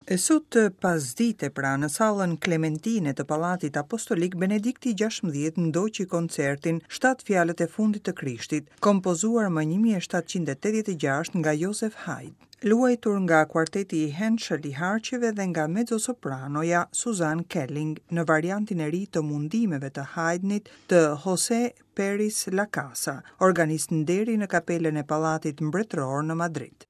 E sot pasdite pra në sallën Klementine të Pallatit Apostolik Benedikti 16 ndoqi koncertin Shtatë fjalët e fundit të Krishtit, kompozuar më 1786 nga Joseph Haydn, luajtur nga kuarteti i Henschel i harqeve dhe nga mezzosopranoja Suzanne Kelling në variantin e ri të mundimeve të Haydnit të José Peris Lacasa, organist nderi në kapelën e Pallatit Mbretëror në Madrid.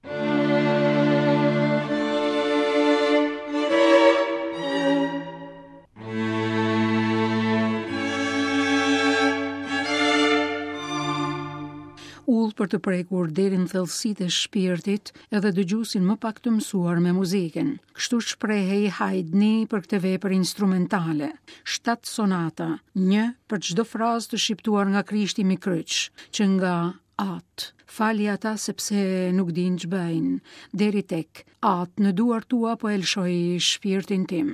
Udhë për të prekur deri në thellësitë e shpirtit edhe dëgjuesin më pak të mësuar me muzikën. Kështu shprehej Haydni për këtë vepër instrumentale. Shtatë sonata, një për çdo frazë të shqiptuar nga Krishti mbi kryq, që nga Atë, fali ata sepse nuk dinë ç'bëjnë, deri tek Atë, në duart tua po e lëshoj shpirtin tim.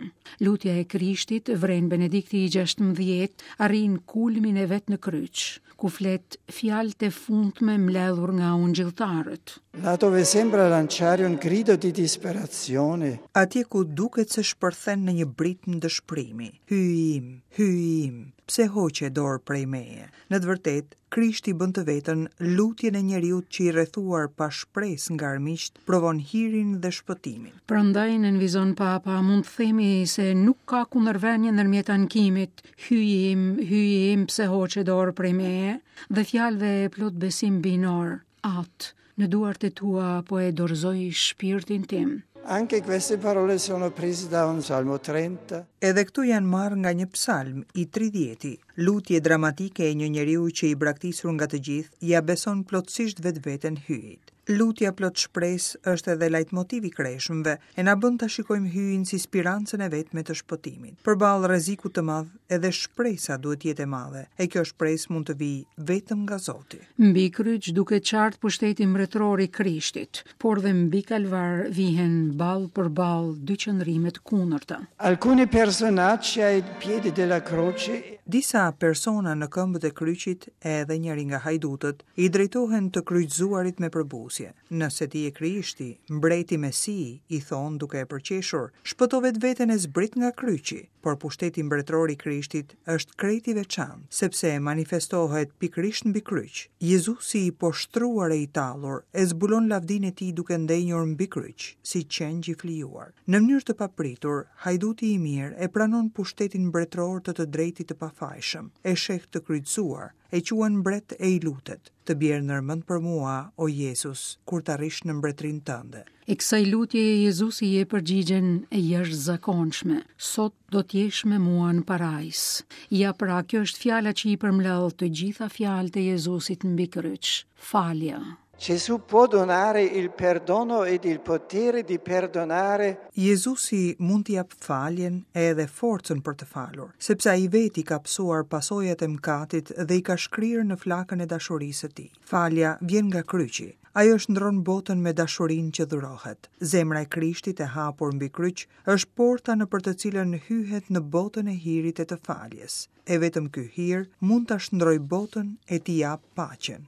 Lutja e Krishtit, vren Benedikti i 16, arrin kulmin e vet në kryq, ku flet fjalët e fundme mbledhur nga ungjilltarët. Là dove sembra lanciare un grido di disperazione. Atje ku duket se shpërthen në një britmë dëshpërimi, Hyji im, Hyji im, pse hoqe dorë prej meje? Në të vërtetë, Krishti bën të vetën lutjen e njeriut që i rrethuar pa shpresë nga armiqtë, provon hirin dhe shpëtimin. Prandaj, nënvizon Papa, mund të themi se nuk ka kundërvënie ndërmjet ankimit, Hyji im, Hyji im, pse hoqe dorë prej meje? dhe fjalëve plot besim hyjnor, Atë, në duart e tua po e dorëzoj shpirtin tim. Anche queste parole sono prese da un Salmo 30. Edhe këto janë marrë nga një psalm i tridhjeti, lutje dramatike e një njeriu që i braktisur nga të gjithë, ia beson plotësisht vetveten Hyjit. Lutja plot shpresë është edhe lajtmotiv i kreshmëve, e na bën ta shikojmë Hyjin si spirancën e vetme të shpëtimit. Përballë rrezikut të madh, edhe shpresa duhet të jetë e madhe, e kjo shpresë mund të vijë vetëm nga Zoti. Mbi kryq duket qartë pushteti mbretëror i Krishtit, por dhe mbi kalvar vihen ballë për ballë dy qëndrime të kundërta. Alcuni personaggi ai piedi della croce. Disa persona në këmbët e kryqit, edhe njëri nga hajdutët, I drejtohen të kryqëzuarit me përbuzje. Nëse ti je Krishti, mbreti Mesi, i thonë duke e përqeshur, shpëto vetveten e zbrit nga kryqi. Por pushteti mbretëror i Krishtit është krejt i veçantë, sepse manifestohet pikërisht mbi kryq. Jezusi i poshtruar e i tallur, e zbulon lavdinë e tij duke ndenjur mbi kryq, si qengj i flijuar. Në mënyrë të papritur, hajduti i mirë e pranon pushtetin mbretëror të të drejtit të pafajshëm, e sheh të kryqëzuar, E quan mbret e i lutet, Të bjerë ndër mend për mua, o Jezus, kur të arrish në mbretërinë tënde. E kësaj lutjeje Jezusi i jep përgjigjen e jashtëzakonshme, Sot do të jesh me mua në parajsë. Ja pra, kjo është fjala që i përmbledh të gjitha fjalët e Jezusit mbi kryq, falja. Gesù può donare il perdono ed il potere di perdonare. Jezusi mund të japë faljen e edhe forcën për të falur, sepse ai vetë i ka pësuar pasojat e mëkatit dhe i ka shkrirë në flakën e dashurisë së tij. Falja vjen nga kryqi. Ajo shndërron botën me dashurinë që dhurohet. Zemra e Krishtit e hapur mbi kryq është porta nëpër të cilën hyhet në botën e hirit e të faljes. E vetëm ky hir mund ta shndërrojë botën e t'i japë paqen.